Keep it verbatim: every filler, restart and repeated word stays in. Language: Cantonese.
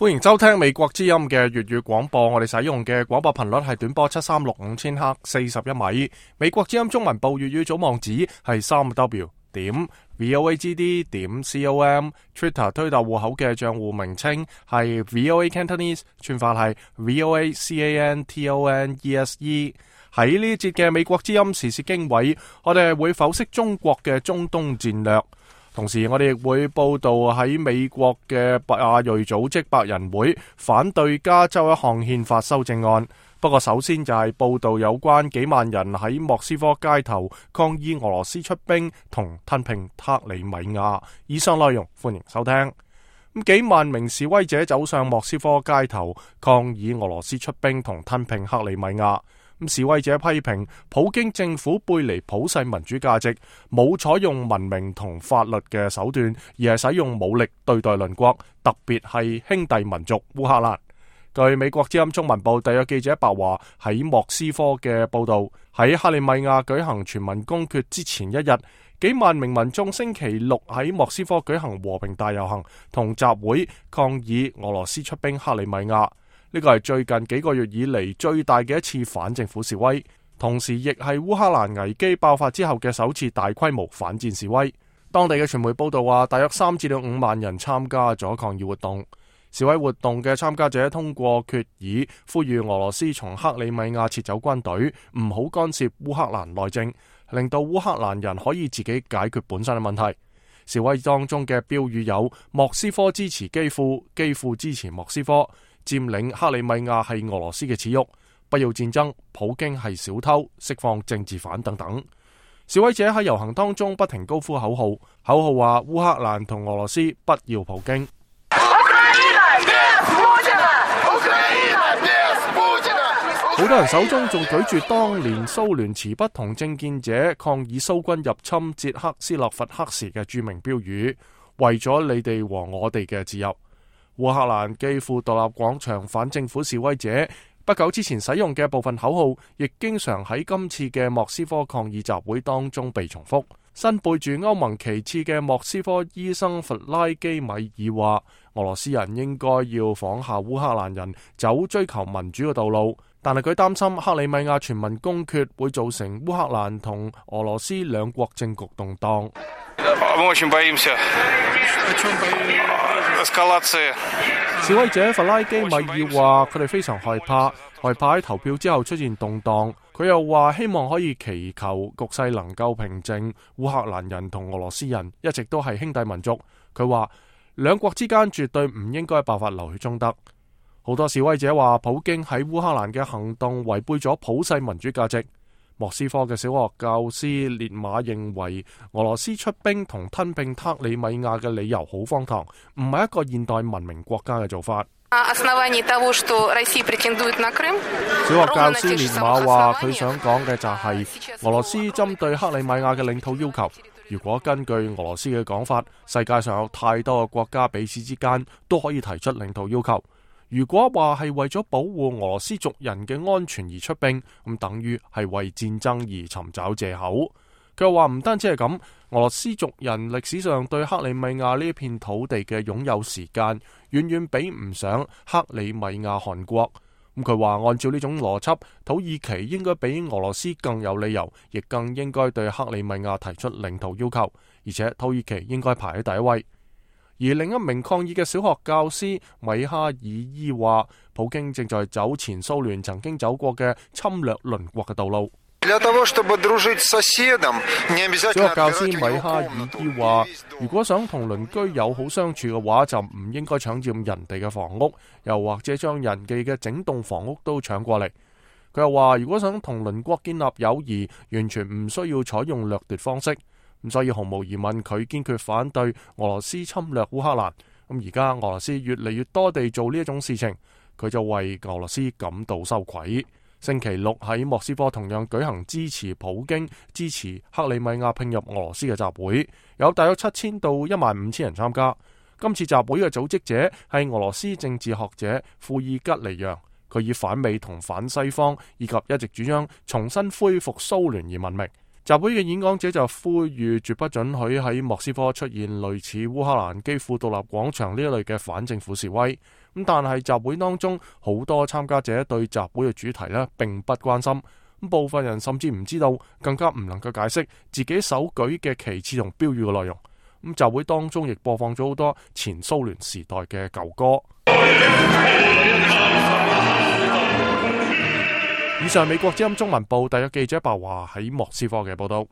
歡迎收聽美國之音嘅粵語廣播，我哋使用嘅廣播頻率係短波七三六五千赫四十一米。美國之音中文部粵語組網址係三 W 點 voagd 點 com，Twitter 推特戶口嘅賬戶名稱係 V O A Cantonese， 串法係 V O A C A N T O N E S E。喺呢節嘅美國之音時事經緯，我哋會剖析中國嘅中東戰略。同時，我哋亦會報道喺美國嘅亞裔組織白人會反對加州一項憲法修正案。不過，首先就係報道有關幾萬人喺莫斯科街頭抗議俄羅斯出兵同吞併克里米亞。以上內容歡迎收聽。咁幾萬名示威者走上莫斯科街頭抗議俄羅斯出兵同吞併克里米亞。示威者批評普京政府背離普世民主價值，冇採用文明同法律嘅手段，而係使用武力對待鄰國，特別係兄弟民族烏克蘭。據美國之音中文部特約記者白華喺莫斯科嘅報道，喺克里米亞舉行全民公決之前一日，幾萬名民眾星期六喺莫斯科舉行和平大遊行同集會，抗議俄羅斯出兵克里米亞。呢個係最近幾個月以嚟最大嘅一次反政府示威，同時亦係烏克蘭危機爆發之後嘅首次大規模反戰示威。當地嘅傳媒報道話，大約三至到五萬人參加咗抗議活動。示威活動嘅參加者通過決議，呼籲俄羅斯從克里米亞撤走軍隊，唔好干涉烏克蘭內政，令到烏克蘭人可以自己解決本身嘅問題。示威當中嘅標語有：莫斯科支持基輔，基輔支持莫斯科。佔領克里米亞係俄羅斯嘅恥辱，不要戰爭，普京係小偷，釋放政治犯等等。示威者喺遊行當中不停高呼口號，口號話烏克蘭同俄羅斯不要普京。好多人手中仲舉住當年蘇聯持不同政見者抗議蘇軍入侵捷克斯洛伐克時嘅著名標語：為咗你哋和我哋嘅自由。烏克蘭基輔獨立廣場反政府示威者不久之前使用嘅部分口號，亦經常喺今次嘅莫斯科抗議集會當中被重複。身背住歐盟旗幟嘅莫斯科醫生弗拉基米爾話，俄羅斯人應該要仿效烏克蘭人走追求民主嘅道路，但係佢擔心克里米亞全民公決會造成烏克蘭同俄羅斯兩國政局動盪。示威者弗拉基米爾話，佢哋非常害怕，害怕喺投票之後出現動盪。佢又話希望可以祈求局勢能夠平靜。烏克蘭人同俄羅斯人一直都係兄弟民族。佢話兩國之間絕對唔應該爆發流血衝突。好多示威者話，普京喺烏克蘭嘅行動違背咗普世民主價值。莫斯科嘅小學教師列馬認為，俄羅斯出兵同吞併克里米亞嘅理由好荒唐，唔係一個現代文明國家嘅做法。小學教師列馬話，佢想講嘅就係俄羅斯針對克里米亞嘅領土要求。如果根據俄羅斯嘅講法，世界上有太多嘅國家彼此之間都可以提出領土要求。如果話係為咗保護俄羅斯族人嘅安全而出兵，咁等於係為戰爭而尋找藉口。佢又話唔單止係咁，俄羅斯族人歷史上對克里米亞呢一片土地嘅擁有時間，遠遠比唔上克里米亞汗國。咁佢話按照呢種邏輯，土耳其應該比俄羅斯更有理由，亦更應該對克里米亞提出領土要求，而且土耳其應該排喺第一位。而另一名抗議嘅小學教師米哈爾伊話，普京正在走前蘇聯曾經走過嘅侵略鄰國嘅道路。小學教師米哈爾伊話，如果想同鄰居友好相處嘅話，就唔應該搶佔人哋嘅房屋，又或者將人哋嘅整棟房屋都搶過嚟。佢又話，如果想同鄰國建立友誼，完全唔需要採用掠奪方式。咁所以毫無疑問，佢堅決反對俄羅斯侵略烏克蘭。咁而家俄羅斯越嚟越多地做呢一種事情，佢就為俄羅斯感到羞愧。星期六喺莫斯科同樣舉行支持普京、支持克里米亞併入俄羅斯嘅集會，有大約七千到一萬五千人參加。今次集會嘅組織者係俄羅斯政治學者庫爾吉尼揚，佢以反美同反西方以及一直主張重新恢復蘇聯而聞名。集會嘅演講者就呼籲絕不准許喺莫斯科出現類似烏克蘭基輔獨立廣場呢一類嘅反政府示威。咁但係集會當中好多參加者對集會嘅主題呢並不關心，咁部分人甚至唔知道，更加唔能夠解釋自己手舉嘅旗幟同標語嘅內容。咁集會當中亦播放咗好多前蘇聯時代嘅舊歌。以上美國之音中文部特約記者白華喺莫斯科嘅報道。